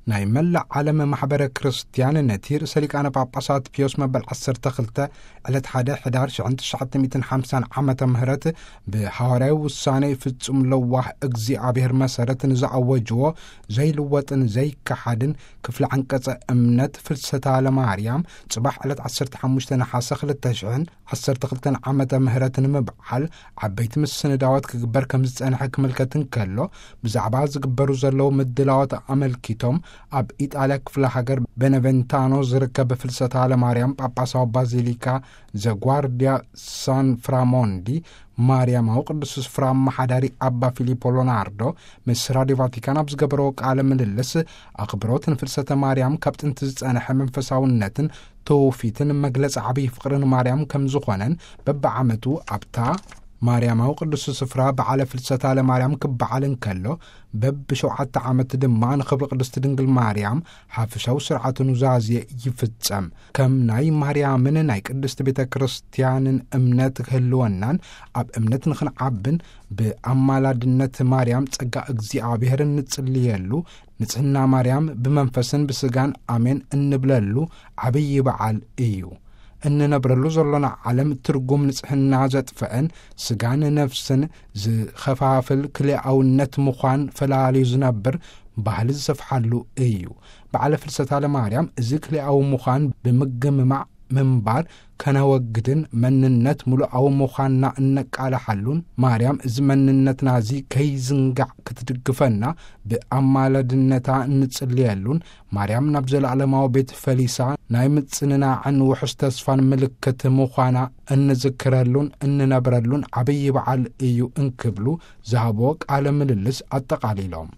ናይ መላእ ዓለም ማሕበረ ክርስትያን ነቲ ርእሰ ሊቃነ ጳጳሳት ፒዮስ መበል ዓሰርተ ክልተ ዕለት ሓደ ሕዳር ሽሕን ትሽዓተ ሚእትን ሓምሳን ዓመተ ምህረት ብሃዋርያዊ ውሳኔ ፍጹም ለዋህ እግዚኣብሔር መሰረት ንዝኣወጅዎ ዘይልወጥን ዘይከሓድን ክፍሊ ዓንቀጸ እምነት ፍልሰታ ለማርያም ጽባሕ ዕለት ዓሰርተ ሓሙሽተ ነሓሰ ክልተ ሽሕን ዓሰርተ ክልተን ዓመተ ምህረት ንምብዓል ዓበይቲ ምስንዳዋት ክግበር ከም ዝጸንሐ ክምልከት እንከሎ፣ ብዛዕባ ዝግበሩ ዘለዉ ምድላዋት ኣመልኪቶም ኣብ ኢጣልያ ክፍለ ሃገር ቤነቨንታኖ ዝርከብ ፍልሰታ ለማርያም ጳጳሳዊ ባዚሊካ ዘጓርዲያ ሳን ፍራሞንዲ ማርያማዊ ቅዱስ ስፍራ ኣመሓዳሪ ኣባ ፊሊፖ ሎናርዶ ምስ ራዲዮ ቫቲካን ኣብ ዝገበረዎ ቃለ ምልልስ፣ ኣኽብሮት ንፍልሰተ ማርያም ካብ ጥንቲ ዝጸንሐ መንፈሳውነትን ትውፊትን መግለጺ ዓብዪ ፍቕሪ ንማርያም ከም ዝኾነን፣ በብዓመቱ ኣብታ ማርያማዊ ቅዱስ ስፍራ በዓለ ፍልሰታ ለማርያም ክበዓል እንከሎ፣ በብሸውዓተ ዓመት ድማ ንኽብሪ ቅድስት ድንግል ማርያም ሓፈሻዊ ስርዓተ ኑዛዜ ይፍጸም። ከም ናይ ማርያምን ናይ ቅድስት ቤተ ክርስቲያንን እምነት ክህልወናን ኣብ እምነት ንኽንዓብን ብኣማላድነት ማርያም ጸጋ እግዚኣብሔር እንጽልየሉ፣ ንጽህና ማርያም ብመንፈስን ብስጋን ኣሜን እንብለሉ ዓብዪ በዓል እዩ። እንነብረሉ ዘሎና ዓለም ትርጉም ንጽህና ዘጥፍአን ስጋን ነፍስን ዝኸፋፍል ክልኣውነት ምዃን ፈላልዩ ዝነብር ባህሊ ዝሰፍሓሉ እዩ። በዓለ ፍልሰታ ለማርያም እዚ ክልኣዊ ምዃን ብምግምማዕ ምንባር ከነወግድን መንነት ምሉኣዊ ምዃንና እነቃልሓሉን፣ ማርያም እዚ መንነትና እዚ ከይዝንጋዕ ክትድግፈና ብኣማላድነታ እንጽልየሉን፣ ማርያም ናብ ዘለዓለማዊ ቤት ፈሊሳ ናይ ምጽንናዕን ውሑስ ተስፋን ምልክት ምዃና እንዝክረሉን እንነብረሉን ዓብዪ በዓል እዩ እንክብሉ ዝሃብዎ ቃለ ምልልስ ኣጠቓሊሎም።